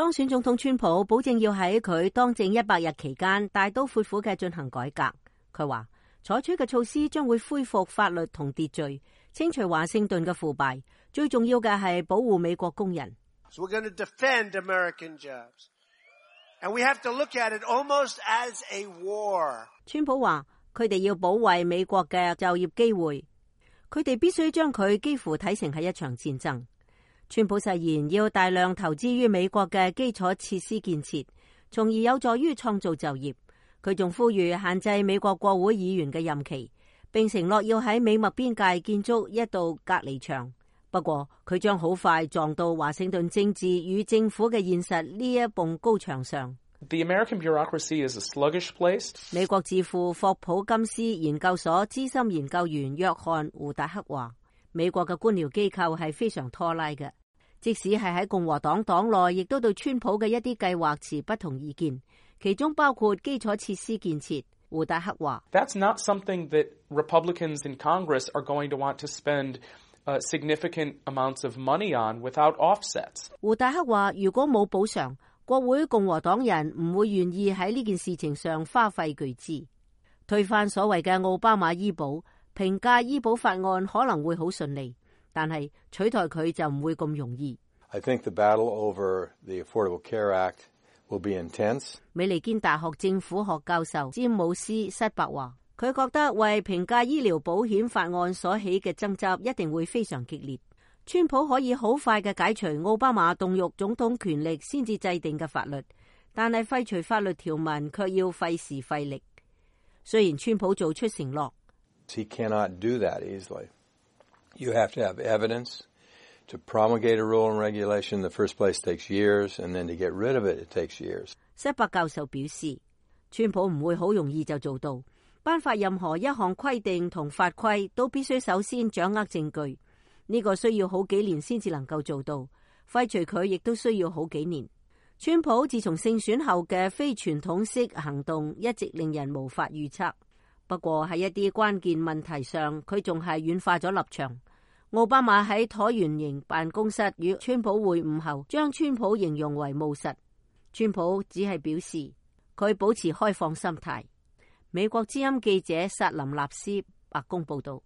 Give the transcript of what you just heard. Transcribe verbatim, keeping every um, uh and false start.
當選總統川普保證要喺佢當政一百日期間大刀闊斧嘅進行改革。佢話採取嘅措施將會恢復法律同秩序，清除華盛頓嘅腐敗，最重要嘅係保護美國工人。So we're going to defend American jobs, and we have to look at it almost as a war. 川普話佢哋要保衛美國嘅就業機會，佢哋必須將佢幾乎睇成係一場戰爭。川普誓言要大量投資於美國嘅基礎設施建設，從而有助於創造就業。佢仲呼籲限制美國國會議員嘅任期，並承諾要喺美墨邊界建築一道隔離牆。不過佢將好快撞到華盛頓政治與政府嘅現實呢一埲高牆上。The American bureaucracy is a sluggish place. 美國智庫霍普金斯研究所資深研究員約翰胡達克話，美國嘅官僚機構係非常拖拉嘅。即使係喺共和黨黨內，亦都對川普嘅一啲計劃持不同意見，其中包括基礎設施建設。胡達克話 That's not something that Republicans in Congress are going to want to spend uh, significant amounts of money on without offsets. 胡達克話如果冇補償，國會共和黨人唔會願意喺呢件事情上花費巨資。推翻所謂嘅奧巴馬醫保，評價醫保法案可能會好順利，但係取代佢就唔會咁容易。I think the battle over the Affordable Care Act will be intense. 美利堅大學政府學教授詹姆斯塞伯話，佢覺得為評價醫療保險法案所起嘅爭執一定會非常激烈。川普可以好快嘅解除奧巴馬動用總統權力先至制定嘅法律，但係廢除法律條文卻要費時費力。雖然川普做出承諾， He cannot do that easily. You have to have evidence. To promulgate a rule and regulation in the first place takes years, and then to get rid of it, it takes years. 塞伯教授表示，川普唔會好容易就做到。頒發任何一項規定同法規都必須首先掌握證據，呢個需要好幾年先至能夠做到。廢除佢亦都需要好幾年。川普自從勝選後嘅非傳統式行動一直令人無法預測。不過喺一啲關鍵問題上，佢仲係軟化咗立場。奧巴馬喺橢圓形辦公室與川普會晤後，將川普形容為務實。川普只係表示佢保持開放心態。美國之音記者薩林納斯白宮報道。